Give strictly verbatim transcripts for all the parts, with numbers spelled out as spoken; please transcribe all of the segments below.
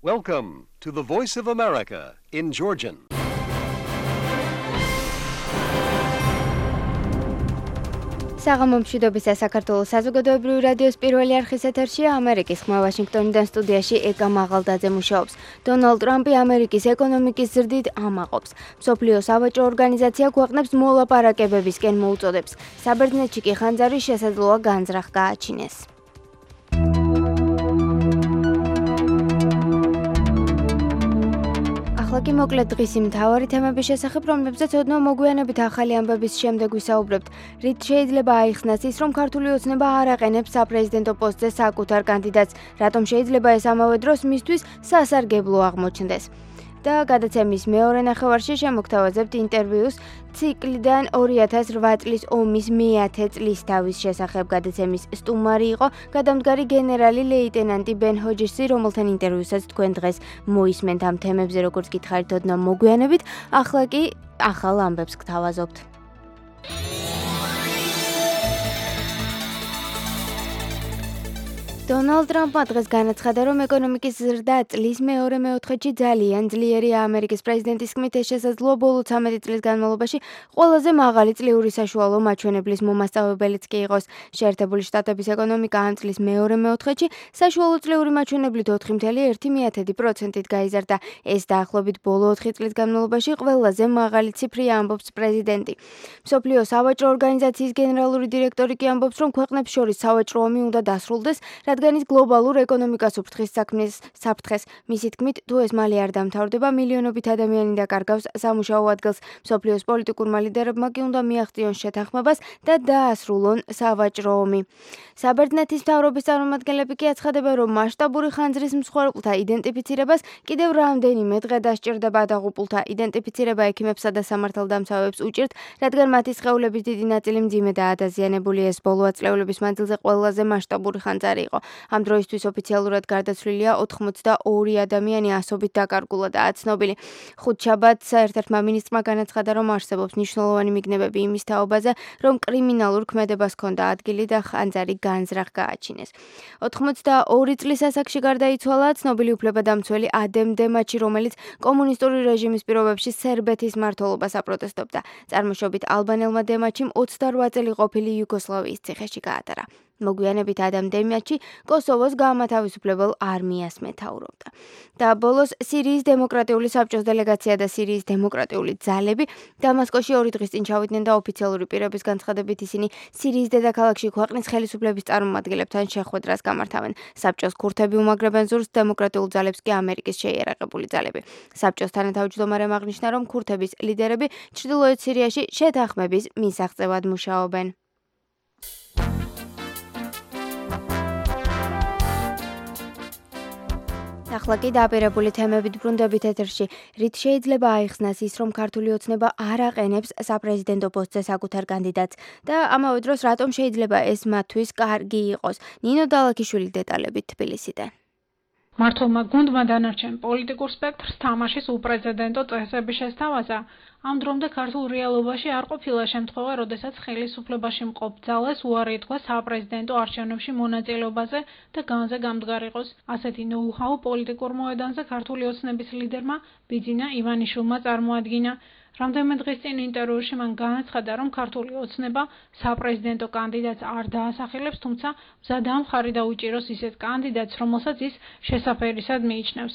Welcome to the Voice of America in Georgian. საღამომშვიდობისა საქართველოს საზოგადოებრივი რადიოს პირველი არხის ეთერშია ამერიკის ხმა ვაშინგტონიდან სტუდიაში ეკა მაღალდაძე მუშაობს. დონალდ ტრამპი ამერიკის ეკონომიკის ზრდით ამაყობს. მსოფლიო სავაჭრო ორგანიზაცია ქვეყნებს მოლაპარაკებებისკენ მოუწოდებს. საბერძნეთში კი ხანძარი შესაძლოა განზრახ გააჩინეს. ახლა კი მოკლედ დღისი მთავარი თემების შესახებ, რომლებზეც ოდნავ მოგვიანებით ახალი ამბების შემდეგ ვისაუბრებთ. რით შეიძლება აიხსნას ის, რომ ქართული ოცნება არ აყენებს საპრეზიდენტო პოსტზე საკუთარ კანდიდატს, რატომ შეიძლება ეს ამავე დროს მისთვის სასარგებლო აღმოჩნდეს. და გადაცემის მეორე ნახევარში შემოგთავაზებთ ინტერვიუს ციკლიდან ორი ათას რვა წლის ომის მეათე წლისთავის შესახებ. გადაცემის სტუმარი იყო გადამდგარი გენერალი ლეიტენანტი ბენ ჰოჯსი, რომელთან ინტერვიუსაც თქვენ დღეს მოისმენთ ამ თემებზე, როგორც გითხარით ოდნავ მოგვიანებით. ახლა კი ახალ ამბებს გთავაზობთ. დონალდ ტრამპმა დღეს განაცხადა, რომ ეკონომიკის ზრდა წლის მეორე მეოთხედში ძალიან ძლიერია. ამერიკის პრეზიდენტის თქმით, ეს შესაძლოა ბოლო ცამეტი წლის განმავლობაში ყველაზე მაღალი წლიური საშუალო მაჩვენებლის მომასწავებელიც კი იყოს. შეერთებული შტატების ეკონომიკა ამ წლის მეორე მეოთხედში საშუალო წლიური მაჩვენებლით ოთხი წუთი ერთი პროცენტით გაიზარდა. ეს დაახლოებით ბოლო ოთხი წლის განმავლობაში ყველაზე მაღალი ციფრია, ამბობს პრეზიდენტი. მსოფლიო სავაჭრო ორგანიზაციის გენერალური დირექტორი კი ამბობს, რომ ქვეყნებს შორის სავაჭრო ომი უნდა დასრულდეს, რადგან ის გლობალურ ეკონომიკას უფრთხის საქმის საფრთხეს. მისი თქმით, თუ ეს მალე არ დამთავრდება, მილიონობით ადამიანი დაკარგავს სამუშაო ადგილს. მსოფლიოს პოლიტიკურმა ლიდერებმა კი უნდა მიაღწიონ შეთანხმებას და დაასრულონ სავაჭრო ომი. საბერძნეთის მთავრობის წარმომადგენლები კი აცხადებენ, რომ მასშტაბური ხანძრის მსხვერპლთა იდენტიფიცირებას კიდევ რამდენიმე დღე დასჭირდება. დაღუპულთა იდენტიფიცირება ექიმებსა და სამართალდამცავებს უჭირთ, რადგან მათი სხეულების დიდი ნაწილი მძიმედაა დაზიანებული. ეს ბოლო ათწლეულების მანძილზე ყველაზე მასშტაბური ხანძარი იყო. ამ დროისთვის ოფიციალურად გარდაცვლილია ოთხმოცდაორი ადამიანი, ასობით დაკარგულადაა ცნობილი. ხუთშაბათს ერთ-ერთმა მინისტრმა განაცხადა, რომ არსებობს მნიშვნელოვანი მიგნებები იმის თაობაზე, რომ კრიმინალურ ქმედებას ჰქონდა ადგილი და ხანძარი განზრახ გააჩინეს. ოთხმოცდაორი წლის ასაკში გარდაიცვალა ცნობილი უფლებადამცველი ადემ დემაჩი, რომელიც კომუნისტური რეჟიმის პირობებში სერბეთის მმართველობას აპროტესტობდა. წარმოშობით ალბანელმა დემაჩიმ ოცდარვა წელი ყოფილი იუგოსლავიის ციხეში გაატარა. მოგვიანებით ადამ დემაჩი კოსოვოს გაამათავისუფლებელ არმიას მეთაურობდა. და ბოლოს სირიის დემოკრატიული საბჭოს დელეგაცია და სირიის დემოკრატიული ძალები დამასკოში ორი დღის წინ ჩავიდნენ და ოფიციალური პირების განცხადებით ისინი სირიის დედაქალაქში ქვეყნის ხელისუფლების წარმომადგენლებთან შეხვედრას გამართავენ. საბჭოს ქურთები უმაგრებენ ზურს, დემოკრატიულ ძალებს კი ამერიკის შეიარაღებული ძალები. საბჭოს თანათავმჯდომარემ აღნიშნა, რომ ქურთების ლიდერები ჩრდილოეთ სირიაში შეთანხმების მისაღწევად მუშაობენ. ახლა კი დაპირებული თემებით ბრუნდებით ეთერში. რით შეიძლება აიხსნას ის, რომ ქართული ოცნება არ აყენებს საპრეზიდენტო პოსტზე საკუთარ კანდიდატს და ამავე დროს რატომ შეიძლება ეს მათთვის კარგი იყოს. ნინო დალაქიშვილი დეტალებით თბილისიდან. მართლმა გუნდმა დანარჩენ პოლიტიკურ სპექტრს თამაშის უპრეცედენტო წესები შესთავაზა. ამ დრომდე ქართულ რეალობაში არ ყოფილა შემთხვევა, როდესაც ხელისუფლებაში მყოფ ძალას უარი ეთქვა საპრეზიდენტო არჩევნებში მონაწილეობაზე და განზე გამდგარ იყოს. ასეთი ნოუ-ჰაუ პოლიტიკურ მოედანზე ქართული ოცნების ლიდერმა ბიძინა ივანიშვილმა წარმოადგინა. რამდენიმე დღის წინ ინტერვიუში მან განაცხადა, რომ ქართული ოცნება საპრეზიდენტო კანდიდატს არ დაასახელებს, თუმცა მზადაა მხარი დაუჭიროს ისეთ კანდიდატს, რომელსაც ის შესაფერისად მიიჩნევს.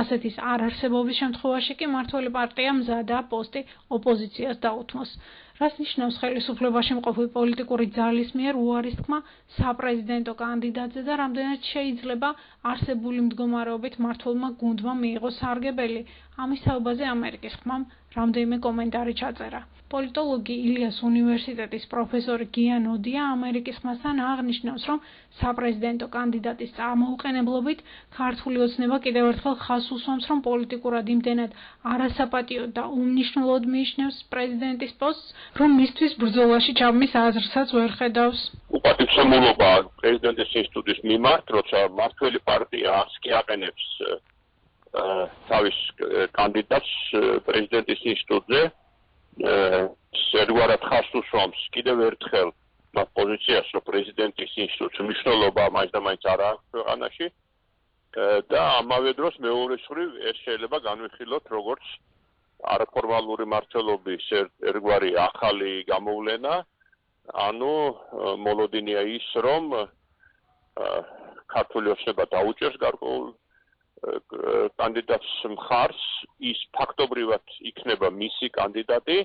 ასეთის არარსებობის შემთხვევაში კი მმართველი პარტია მზადაა პოსტი ოპოზიციას დაუთმოს. რას ნიშნავს ხელისუფლებაში მყოფი პოლიტიკური ძალის მიერ უარის თქმა საპრეზიდენტო კანდიდატზე და რამდენად შეიძლება არსებული მდგომარეობით მმართველმა გუნდმა მიიღოს სარგებელი. ამის თაობაზე ამერიკის ხმამ რამდენიმე კომენტარი ჩაწერა. პოლიტოლოგი ილიას უნივერსიტეტის პროფესორი გიან ოდია ამერიკის ხმასთან აღნიშნავს, რომ საპრეზიდენტო კანდიდატის წარმოუყენებლობით ქართული ოცნება კიდევ ერთხელ ხაზს უსვამს, რომ პოლიტიკურად იმდენად არასაპატიო და უმნიშვნელოდ მიიჩნევს პრეზიდენტის პოსტს, რომ მისთვის ბრძოლაში ჩაბმის აზრსაც ვერ ხედავს. უპატივცემულობა პრეზიდენტის ინსტიტუტის მიმართ, როცა მმართველი პარტია არც კი აყენებს თავის კანდიდატს პრეზიდენტის ინსტიტუტზე, ერთგვარად ხაზს უსვამს კიდევ ერთხელ მათ პოზიციას, რომ პრეზიდენტის ინსტიტუტის მნიშვნელობა მაინც და მაინც არ აქვს ქვეყანაში და ამავე დროს მეორე მხრივ ეს შეიძლება განვიხილოთ როგორც არაფორმალური მმართველობის ერთგვარი ახალი გამოვლენა, ანუ მოლოდინია ის, რომ ქართული ოცნება დაუჭერს გარკვეულ კანდიდატს მხარს, ის ფაქტობრივად იქნება მისი კანდიდატი,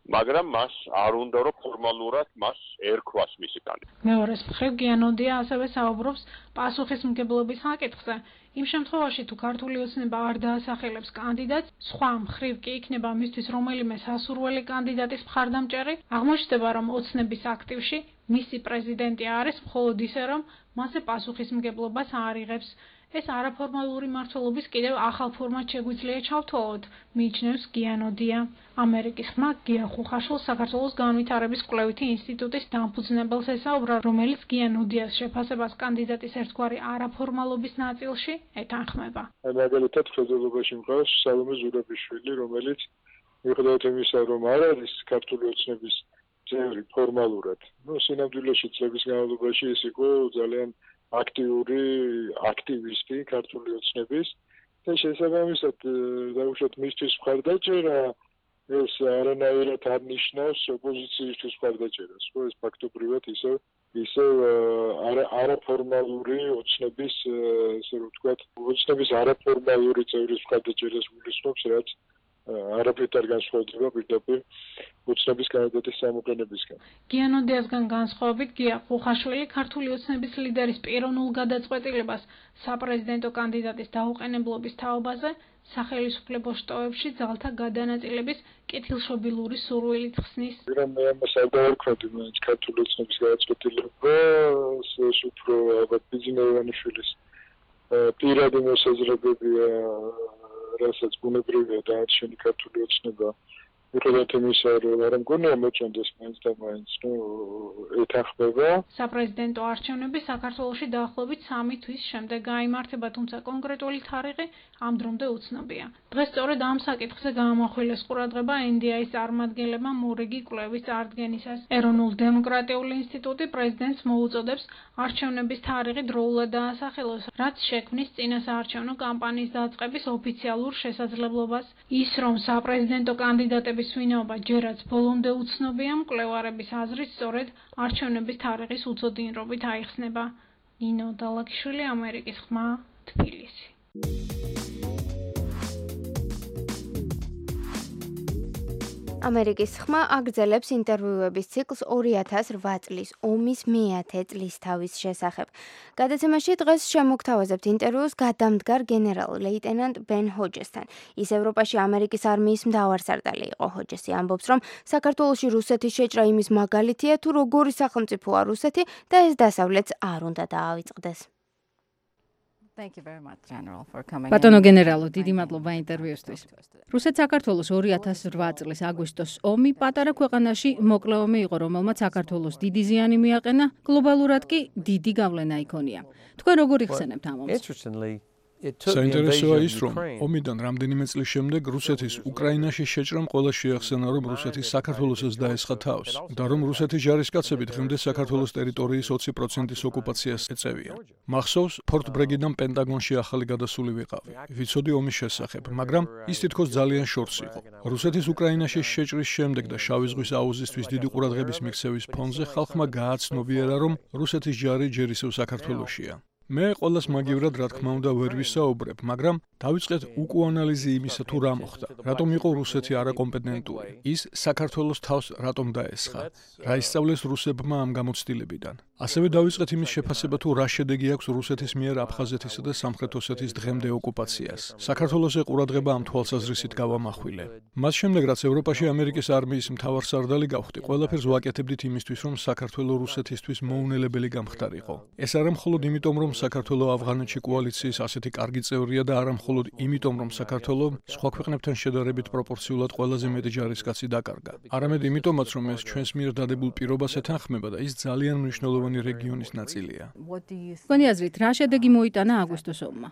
მაგრამ მას არ უნდა რომ ფორმალურად მას ერქვას მისი კანდიდატი. მეორეს მხრივ გიანოდია ასევე საუბრობს პასუხისმგებლობის საკითხზე. იმ შემთხვევაში თუ ქართული ოცნება არ დაასახელებს კანდიდატს, სხვა მხრივ კი იქნება მისთვის რომელიმე სასურველი კანდიდატის მხარდამჭერი, აღმოჩნდება რომ ოცნების აქტივში მისი პრეზიდენტი არის მხოლოდ ისე რომ მასზე პასუხისმგებლობას არ იღებს. ეს არაფორმალური მმართველობის კიდევ ახალ ფორმად შეგვიძლია ჩავთვალოთ, მიიჩნევს გიანოდია. ამერიკის ხმა გია ხუხაშვილს საქართველოს განვითარების კვლევითი ინსტიტუტის დამფუძნებელს ესაუბრა, რომელიც გიანოდიას შეფასებას კანდიდატის ერთგვარი არაფორმალობის ნაწილში ეთანხმება. მაგალითად, ხელისუფლებაში მყავს სალომე ზურაბიშვილი, რომელიც მიუხედავად იმისა, რომ არ არის ქართული ოცნების წევრი ფორმალურად, ну, სინამდვილეში წლების განმავლობაში ის იყო ძალიან აქტიური აქტივისტი ქართული ოცნების და შესაბამისად დაუშვათ მისთვის მხარდაჭერა ეს არანაირად არ ნიშნავს ოპოზიციისთვის მხარდაჭერას, ხო ეს ფაქტობრივად ისევ ისევ არაფორმალური ოცნების ესე რომ ვთქვათ ოცნების არაფორმალური წევრის მხარდაჭერას გულისხმობს, რაც არაფრით არ განსხვავდება პირდაპირ ოცნების კანდიდატის გამოყენებისგან. გიანოდიასგან განსხვავებით გია ხუხაშვილი ქართული ოცნების ლიდერის პიროვნულ გადაწყვეტილებას საპრეზიდენტო კანდიდატის დაუყენებლობის თაობაზე სახელმწიფო შტოებში ძალთა გადანაწილების კეთილშობილური სურვილით ხსნის. რომ მე ამას არ დავარქვათ, მაგრამ ქართული ოცნების გადაწყვეტილება ეს უფრო ალბათ ბიზნესმენის პირადი მოსაზრებებია, რასაც ბუნებრივია დაარჩენი ქართული ოცნება. მიუხედავად იმისა, რომ არ მგონია მოწონდეს მაინც და მაინც, ნუ ეთანხმება. საპრეზიდენტო არჩევნები საქართველოში დაახლოებით სამი თვის შემდეგ გაიმართება, თუმცა კონკრეტული თარიღი ამ დრომდე უცნობია. დღეს სწორედ ამ საკითხზე გაამახვილეს ყურადღება ენ დი აის წარმომადგენლებმა მორიგი კვლევის წარდგენისას. ეროვნულ დემოკრატიული ინსტიტუტი პრეზიდენტს მოუწოდებს არჩევნების თარიღი დროულად დაასახელოს, რაც შექმნის წინასაარჩევნო კამპანიის დაწყების ოფიციალურ შესაძლებლობას. ის, რომ საპრეზიდენტო კანდიდატები ვინაობა ჯერაც ბოლომდე უცნობია, მკვლევარების აზრით სწორედ არჩევნების თარიღის უცოდინრობით აიხსნება. ნინო დალაკიშვილი, ამერიკის ხმა, თბილისი. ამერიკის ხმა აგრძელებს ინტერვიუების ციკლს ორი ათას რვა წლის ომის მეათე წლისთავის შესახებ. გადაცემაში დღეს შემოგთავაზებთ ინტერვიუს გადამდგარ გენერალ-ლეიტენანტ ბენ ჰოჯესთან. ის ევროპაში ამერიკის არმიის მთავარსარდალი იყო. ჰოჯესი ამბობს, რომ საქართველოში რუსეთის შეჭრა იმის მაგალითია, თუ როგორი სახელმწიფოა რუსეთი და ეს დასავლეთს არ უნდა დაავიწყდეს. ბატონო გენერალო, დიდი მადლობა ინტერვიუსთვის. რუსეთ-საქართველოს ორი ათას რვა წლის აგვისტოს ომი პატარა ქვეყანაში მოკლე ომი იყო, რომელმაც საქართველოს დიდი ზიანი მიაყენა, გლობალურად კი დიდი გავლენა იქონია. თქვენ როგორ იხსენებთ ამ ომს? საინტერესოა ის, რომ ომიდან რამდენიმე წლის შემდეგ რუსეთის უკრაინაში შეჭრამ ყველა შეახსენა, რომ რუსეთი საქართველოსაც დაესხა თავს და რომ რუსეთის ჯარისკაცები დღემდე საქართველოს ტერიტორიის ოცი პროცენტის ოკუპაციას ეწევიან. მახსოვს, ფორტ ბრეგიდან პენტაგონში ახალი გადასული ვიყავი. ვიცოდი ომის შესახებ, მაგრამ ის თითქოს ძალიან შორს იყო. რუსეთის უკრაინაში შეჭრის შემდეგ და შავი ზღვის აუზისთვის დიდი ყურადღების მიქცევის ფონზე ხალხმა გააცნობიერა, რომ რუსეთის ჯარი ჯერ ისევ საქართველოშია. მე ყოველას მაგივრად რა თქმა უნდა ვერ ვისაუბრებ, მაგრამ დავიწყეთ უკუანალიზი იმისა, თუ რა მოხდა. რატომ იყო რუსეთი არაკომპეტენტური? ის საქართველოს თავს რატომ დაესხა? რა ისწავლეს რუსებმა ამ გამოცდილებიდან? ასევე დავიწყეთ იმის შეფასება, თუ რა შედეგი აქვს რუსეთის მიერ აფხაზეთისა და სამხრეთ ოსეთის დღემდე ოკუპაციას. საქართველოზე ყურადღება ამ თვალსაზრისით გავამახვილე. მას შემდეგ, რაც ევროპაში ამერიკის არმიის მთავარსარდალი გავხდი, ყველაფერს ვაკეთებდით იმისთვის, რომ საქართველო რუსეთისთვის მოუნელებელი გამხდარიყო. ეს არა მხოლოდ იმიტომ, რომ საქართველო ავღანეთში კოალიციის ასეთი კარგი წევრია და არა მხოლოდ იმიტომ, რომ საქართველო სხვა ქვეყნებთან შედარებით პროპორციულად ყველაზე მეტი ჯარისკაცი დაკარგა. არამედ იმიტომაც, რომ ეს ჩვენს მიერ დადებულ პირობას ეთანხმება და ის ძალიან მნიშვნელოვანი რეგიონის ნაწილია. თქვენი აზრით, რა შედეგი მოიტანა აგვისტოს ომმა?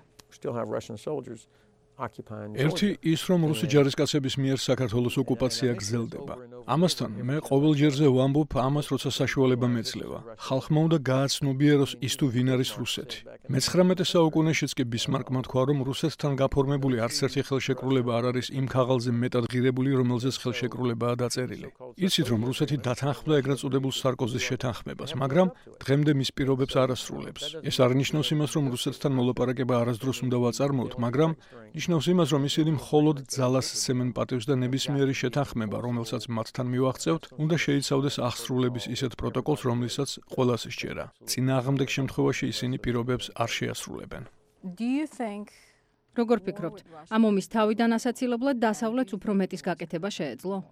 ერთი ის, რომ რუსი ჯარისკაცების მიერ საქართველოს ოკუპაცია გრძელდება. ამასთან მე ყოველჯერზე ვამბობ ამას, როცა საშუალება მეძლევა. ხალხმა უნდა გააცნობიეროს ის თუ ვინ არის რუსეთი. მეცხრამეტე საუკუნეშიც კი ბისმარკმა თქვა, რომ რუსეთთან გაფორმებული არც ერთი ხელშეკრულება არ არის იმ ქაღალზე მეტად ღირებული, რომელზეც ხელშეკრულებაა დაწერილი. იცით, რომ რუსეთი დათანხმდა ეგრეთ წოდებულ სარკოზის შეთანხმებას, მაგრამ დღემდე მის პირობებს არ ასრულებს. ეს არ ნიშნავს იმას, რომ რუსეთთან მოლაპარაკება არასდროს უნდა ვაწარმოოთ, მაგრამ ნიშნავს იმას, რომ ისინი მხოლოდ ძალას სცემენ პატივს და ნებისმიერი შეთანხმება, რომელსაც მათთან მივაღწევთ, უნდა შეიცავდეს აღსრულების ისეთ პროტოკოლს, რომლითაც ყველას სჯერა. წინააღმდეგ შემთხვევაში ისინი პირობებს არ შეასრულებენ. როგორ ფიქრობთ, ამ ომის თავიდან ასაცილებლად დასავლეთს უფრო მეტის გაკეთება შეეძლო?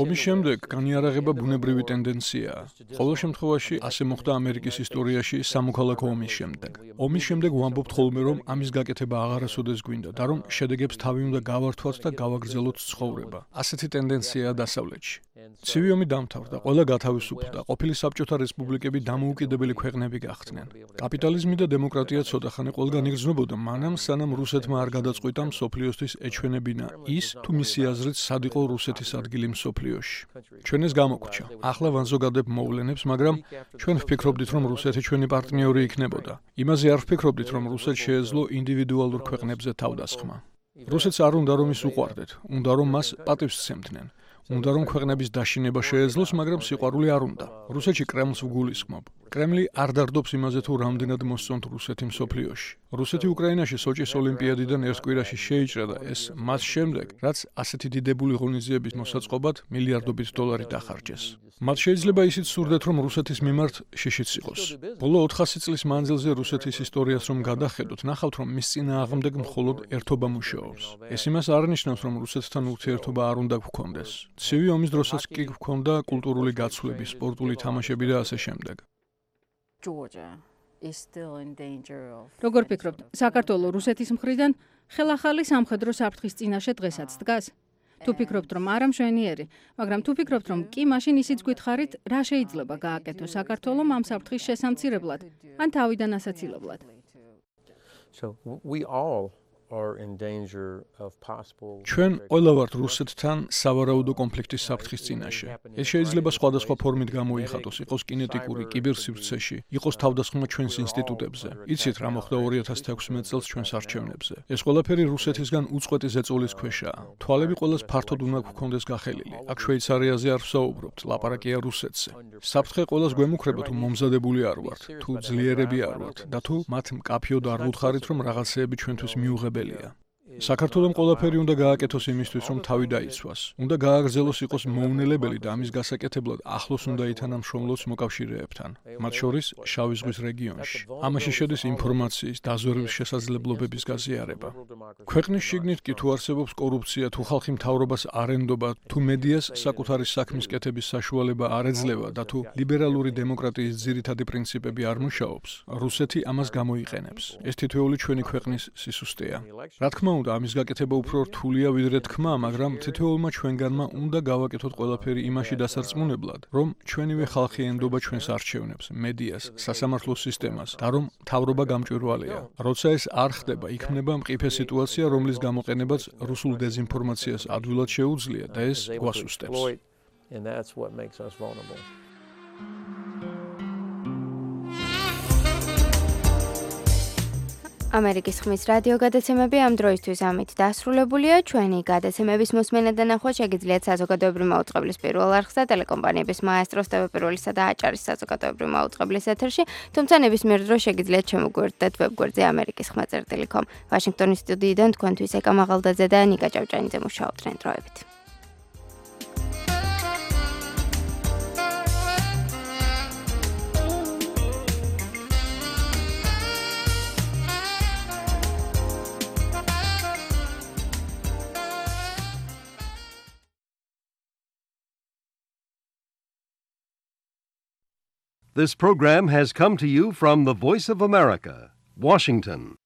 ომის შემდეგ განიარაღება ბუნებრივი ტენდენციაა. ყოველ შემთხვევაში ასე მოხდა ამერიკის ისტორიაში სამოქალაქო ომის შემდეგ. ომის შემდეგ ვამბობთ ხოლმე, რომ ამის გაკეთება აღარასოდეს გვინდა და რომ შედეგებს თავი უნდა გავართვათ და გავაგრძელოთ ცხოვრება. ასეთი ტენდენციაა დასავლეთში. ცივი ომი დამთავრდა, ყველა გათავისუფლდა, ყოფილი საბჭოთა რესპუბლიკები დამოუკიდებელი ქვეყნები გახდნენ. კაპიტალიზმი და დემოკრატია ცოტახანი ყველგან იგრძნობოდა, მანამ სანამ რუსეთმა არ გადაწყვიტა მსოფლიოსთვის ეჩვენებინა ის, თუ მისი აზრით სად იყო რუსეთის ადგილი მსოფლიოში. ჩვენ ეს გამოგვჩა. ახლა ვანზოგადებ მოვლენებს, მაგრამ ჩვენ ვფიქრობდით, რომ რუსეთი ჩვენი პარტნიორი იქნებოდა. იმაზე არ ვფიქრობდით, რომ რუსეთს შეეძლო ინდივიდუალურ ქვეყნებზე თავდასხმა. რუსეთს არ უნდა რომ ის უყვარდეთ, უნდა რომ მას პატივს სცემდნენ. უნდა რომ ქვეყნების დაშინება შეეძლოს, მაგრამ სიყვარული არ უნდა. რუსეთში კრემლს ვგულისხმობ. კრემლი არ დარდობს იმაზე, თუ რამდენად მოსწონთ რუსეთი მსოფლიოში. რუსეთი უკრაინაში სოჭის ოლიმპიადიდან ერთ კვირაში შეიჭრა და ეს მას შემდეგ, რაც ასეთი დიდებული ღონისძიების მოსაწყობად მილიარდობით დოლარი დახარჯეს. მათ შეიძლება ისიც სურდეთ, რომ რუსეთის მიმართ შიშიც იყოს. ბოლო ოთხასი წლის მანძილზე რუსეთის ისტორიას რომ გადახედოთ, ნახავთ, რომ მის წინააღმდეგ მხოლოდ ერთობა მუშაობს. ეს იმას არ ნიშნავს, რომ რუსეთთან ურთიერთობა არ უნდა გვქონდეს. ცივი ომის დროსაც კი გვქონდა კულტურული გაცვლები, სპორტული თამაშები და ასე შემდეგ. როგორ ფიქრობთ, საქართველოს რუსეთის მხრიდან ხელახალი სამხედრო საფრთხის წინაშე დღესაც დგას? თუ ფიქრობთ, რომ არა მშვენიერი, მაგრამ თუ ფიქრობთ, რომ კი, მაშინ ისიც გითხარით, რა შეიძლება გააკეთოს საქართველოს ამ საფრთხის შესამცირებლად, ან თავიდან ასაცილებლად? ჩვენ ყველა ვართ რუსეთთან სავარაუდო კონფლიქტის საფრთხის წინაშე. ეს შეიძლება სხვადასხვა ფორმით გამოიხატოს, იყოს კინეტიკური, კიბერსივრცეში, იყოს თავდასხმა ჩვენს ინსტიტუტებზე. იცით, რა მოხდა ორი ათას თექვსმეტ წელს ჩვენს არჩევნებზე. ეს ყველაფერი რუსეთისგან უწყვეტი ზეწოლის ქვეშაა. თვალები ყველას ფართოდ უნდა გვქონდეს გახელილი. აქ შვეიცარიაზე არ ვსაუბრობთ, ლაპარაკია რუსეთზე. საფრთხე ყველას გვემუქრება, თუ მომზადებული არ ვართ, თუ ძლიერები არ ვართ და თუ მათ მკაფიოდ არ ვუთხარით, რომ რაღაცეები ჩვენთვის მიუღებელია. საქართველოს ყველაფერი უნდა გააკეთოს იმისთვის, რომ თავი დაიცვას. უნდა გააგრძელოს იყოს მოუნელებელი და ამის გასაკეთებლად ახლოს უნდა ითანამშრომლოს მოკავშირეებთან, მათ შორის შავი ზღვის რეგიონში. ამაში შედის ინფორმაციის, დაზვერვის შესაძლებლობების გაზიარება. ქვეყნის შიგნით კი თუ არსებობს კორუფცია, თუ ხალხი მთავრობას არ ენდობა, თუ მედიას საკუთარი საქმის კეთების საშუალება არ ეძლევა და თუ ლიბერალური დემოკრატიის ძირითადი პრინციპები არ მუშაობს, რუსეთი ამას გამოიყენებს. ეს თითოეული ჩვენი ქვეყნის სისუსტეა. რა თქმა უნდა, ამის გაკეთება უფრო რთულია ვიდრე თქმა, მაგრამ თითოეულმა ჩვენგანმა უნდა გავაკეთოთ ყველაფერი იმაში დასარწმუნებლად, რომ ჩვენივე ხალხი ენდობა ჩვენს არჩევნებს, მედიას, სასამართლო სისტემას და რომ მთავრობა გამჭვირვალეა. როცა ეს არ ხდება, იქმნება მყიფე სიტუაცია, რომლის გამოყენებაც რუსულ დეზინფორმაციას ადვილად შეუძლია და ეს გვასუსტებს. ამერიკის ხმის რადიო გადაცემები ამ დროისთვის ამით დასრულებულია. ჩვენი გადაცემების მოსმენა და ნახვა შეგიძლიათ საზოგადოებრივი მაუწყებლის პირველ არხსა, ტელეკომპანიების მაესტროს ტევ პირველისა და აჭარის საზოგადოებრივი მაუწყებლის ეთერში, თუმცა ნებისმიერ დროს შეგიძლიათ შემოგვიერთდეთ ვებგვერდზე ამერიკის ხმა წერტილი კომ. ვაშინგტონის სტუდიიდან თქვენთვის ეკა მაღალდაძე და ნიკა ჭავჭანიძე მუშაობდნენ. დროებით. This program has come to you from the Voice of America, Washington.